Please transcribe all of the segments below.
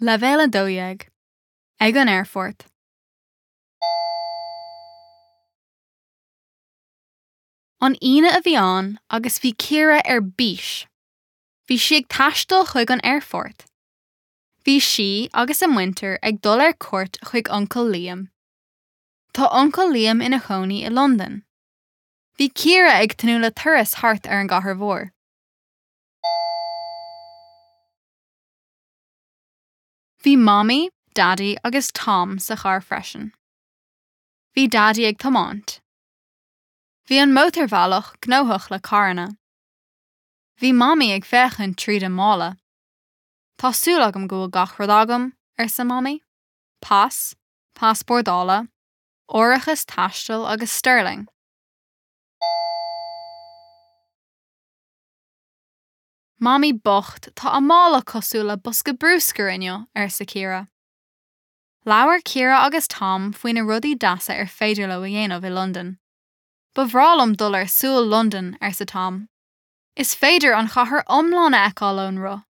Leibhéal 12, Ag an Aerfort. An Aoine a bhí ann agus bhí Ciara ar bís. Bhí sí ag taisteal chuig an aerfort. Bhí sí agus a muintir ag dul ar cuairt chuig Uncail Liam. Tá Uncail Liam ina chónaí i Londain. Bhí Ciara ag tnúth le turas thart ar an gcathair mhór. Bhí Mamaí, Daidí agus Tom sa charr freisin. Bhí Daidí ag tiomáint. Bhí an mótarbhealach gnóthach le carranna. Bhí Mamaí ag féachaint tríd an mála. Tá súil agam go bhfuil gach rud agam, arsa Mamaí. Pas, pas bordála, árachas taistil agus sterling. Mamaí bocht, tá a mála cosúil le bosca bruscair inniu, arsa Ciara. Labhair Ciara agus Tom faoi na rudaí deasa ar féidir leo a dhéanamh i Londain. Ba bhreá liom dul ar Súil Londan, arsa Tom. Is féidir an chathair iomlán a fheiceáil ón roth.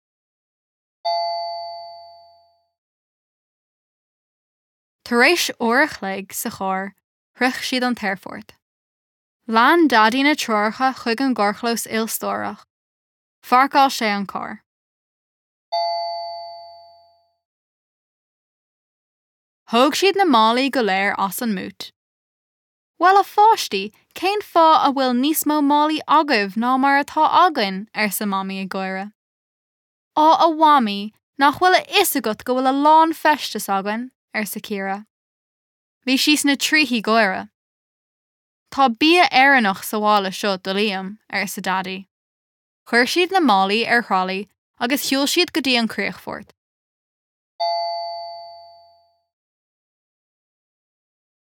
Tar éis uair a chloig sa charr, shroich siad an t-aerfort. Lean Daidí na treoracha chuig an gcarrchlós ilstórach. Pháirceáil sé an carr. Thóg siad na málaí go léir as an mbúit. Bhuel, a pháistí, cén fáth a bhfuil níos mó málaí agaibh ná mar atá againn? arsa Mamaí ag gáire. Á, a Mhamaí, nach bhfuil a fhios agat go bhfuil a lán feisteas againn? arsa Ciara. Bhí sí sna trithí gáire. Tá bia Éireannach sa mhála seo do Liam, arsa Daidí. Chuir siad na málaí ar thralaí agus shiúil siad go dtí an críochfort.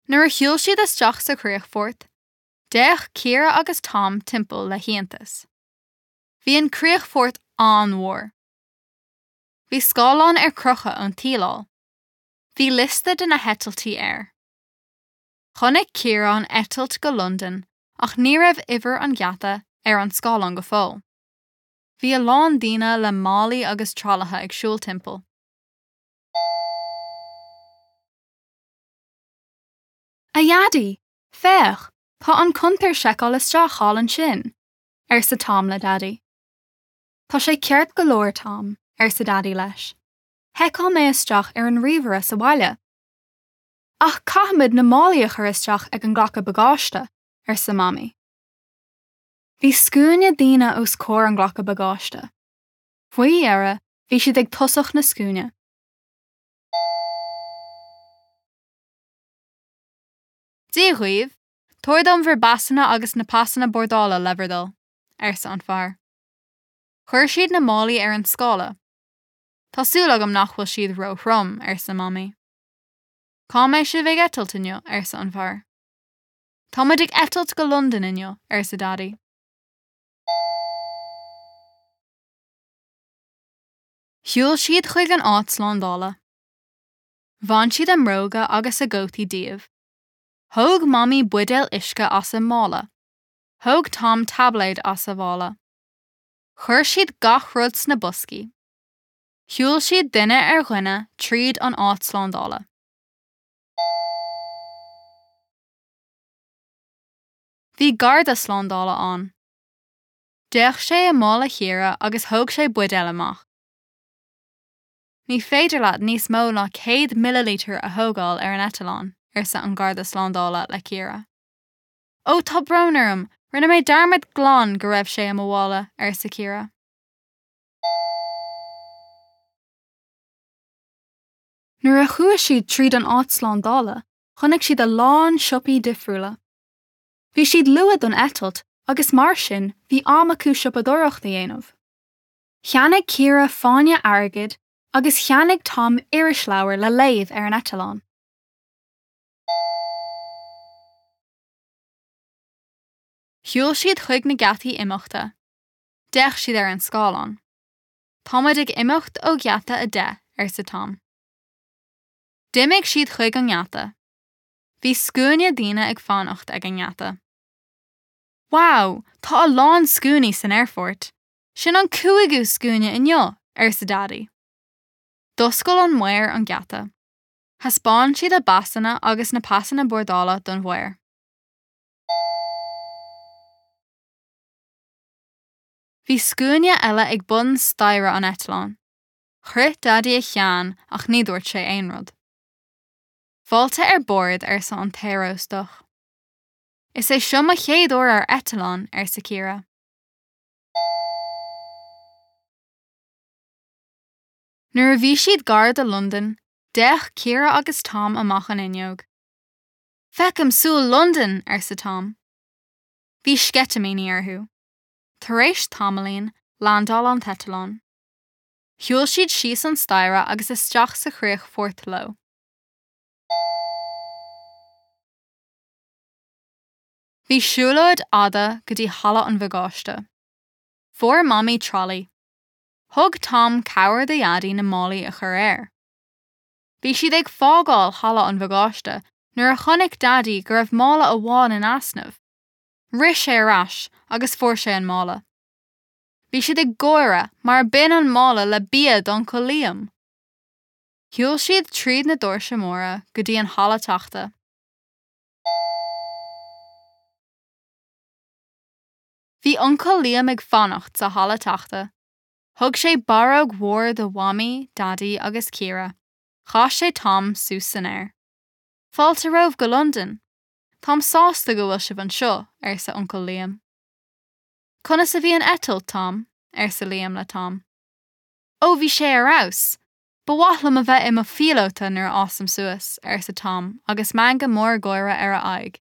Nuair a shiúil siad isteach sa chríochfort, d'fhéach Ciara agus Tom timpeall le hiontas. Bhí an críochfort an-mhór. Bhí scáileán ar crochadh ón tsíleáil. Bhí liosta de na heitiltí air. Chonaic Ciara an eitilt go Londain ach ní raibh uimhir an gheata ar an scáileán go fóill. Bhí a lán daoine le málaí agus tralaithe ag siúl timpeall. A Dhaidí, féach, tá an cuntar seiceáil isteach thall ansin, arsa Tom le Daidí. Tá sé ceart go leor, Tom, arsa Daidí leis. Sheiceáil mé isteach ar an ríomhaire sa bhaile. Ach caithfimid na málaí a chur isteach ag an nglacadh bagáiste, arsa Mamaí. Bhí scuaine daoine os comhair an ghlacadh bagáiste. Faoi dheireadh, bhí siad ag tosach na scuaine. Dia dhaoibh, tabhair dom bhur bpasanna agus na pasanna bordála le bhur dtoil, arsa an fear. Chuir siad na málaí ar an scála. Tá súil agam nach bhfuil siad ró-throm, arsa Mamaí. Cá mbeidh sibh ag eitilt inniu? arsa an fear. Táimid ag eitilt go Londain inniu, arsa Daidí. Shiúil siad chuig an áit slándála. Bhain siad a mbróga agus a gcótaí díobh. Thóg Mamaí buidéal uisce as a mála. Thóg Tom taibléad as a mhála. Chuir siad gach rud sna boscaí. Shiúil siad duine ar dhuine tríd an áit slándála. Bhí garda slándála ann. D'fhéach sé i mála Chiara agus thóg sé buidéal amach. Ní féidir leat níos mó ná 100 millilítear a thógáil ar an eitleán, arsa an garda slándála le Ciara. Ó, tá brón orm, rinne mé dearmad glan go raibh sé i mo mhála, arsa Ciara. Nuair a chuaigh siad tríd an áit slándála, chonaic siad a lán siopaí difriúla. Bhí siad luath don eitilt agus mar sin bhí am acu siopadóireacht a dhéanamh. Cheannaigh Ciara fáinne airgid agus cheannaigh Tom irisleabhar le léamh ar an eitleán. Shiúil siad chuig na geataí imeachta. D'fhéach siad ar an scáileán. Táimid ag imeacht ó gheata 10, arsa Tom. D'imigh siad chuig an ngeata. Bhí scuaine daoine ag fanacht ag an ngeata. Wow, tá a lán scuainí san aerfort! Sin an cúigiú scuaine inniu, arsa Daidí. D'oscail an maor an geata. Thaispeáin siad a bpasanna agus na pasanna bordála don mhaor. Bhí scuaine eile ag bun staighre an eitleáin. Chroith Daidí a cheann ach ní dúirt sé aon rud. Fáilte ar bord, arsa an t-aeróstach. Is é seo mo chéad uair ar eitleán, arsa Ciara. Nuair a bhí siad gar do Londain, d'fhéach Ciara agus Tom amach an fhuinneog. Feicim súil Londan! arsa Tom. Bhí sceitimíní orthu. Tar éis tamaillín, landáil an t-eitleán. Shiúil siad síos an staighre agus isteach sa chríochfort leo. Bhí siúlóid fhada go dtí halla an bhagáiste. Fuair Mamaí tralaí. Thug Tom cabhair do Dhaidí na málaí a chur air. Bhí siad ag fágáil halla an bhagáiste nuair a chonaic Daidí go raibh mála amháin in easnamh. Rith sé ar ais agus fuair sé an mála. Bhí siad ag gáire mar b'in an mála le bia d'Uncail Liam! Shiúil siad tríd na doirse móra go dtí an halla teachta. Bhí Uncail Liam ag fanacht sa halla teachta. Thug sé barróg mhór do Mhamaí, Daidí agus Ciara. Chas sé Tom suas san aer. Fáilte romhaibh go Londain! Táim sásta go bhfuil sibh anseo, arsa Uncail Liam. Conas a bhí an eitilt, Tom? arsa Liam le Tom. Ó, bhí sé ar fheabhas! Ba mhaith liom a bheith i mo phíolóta nuair a fhásaim suas, arsa Tom agus meangadh mór gáire ar a aghaidh.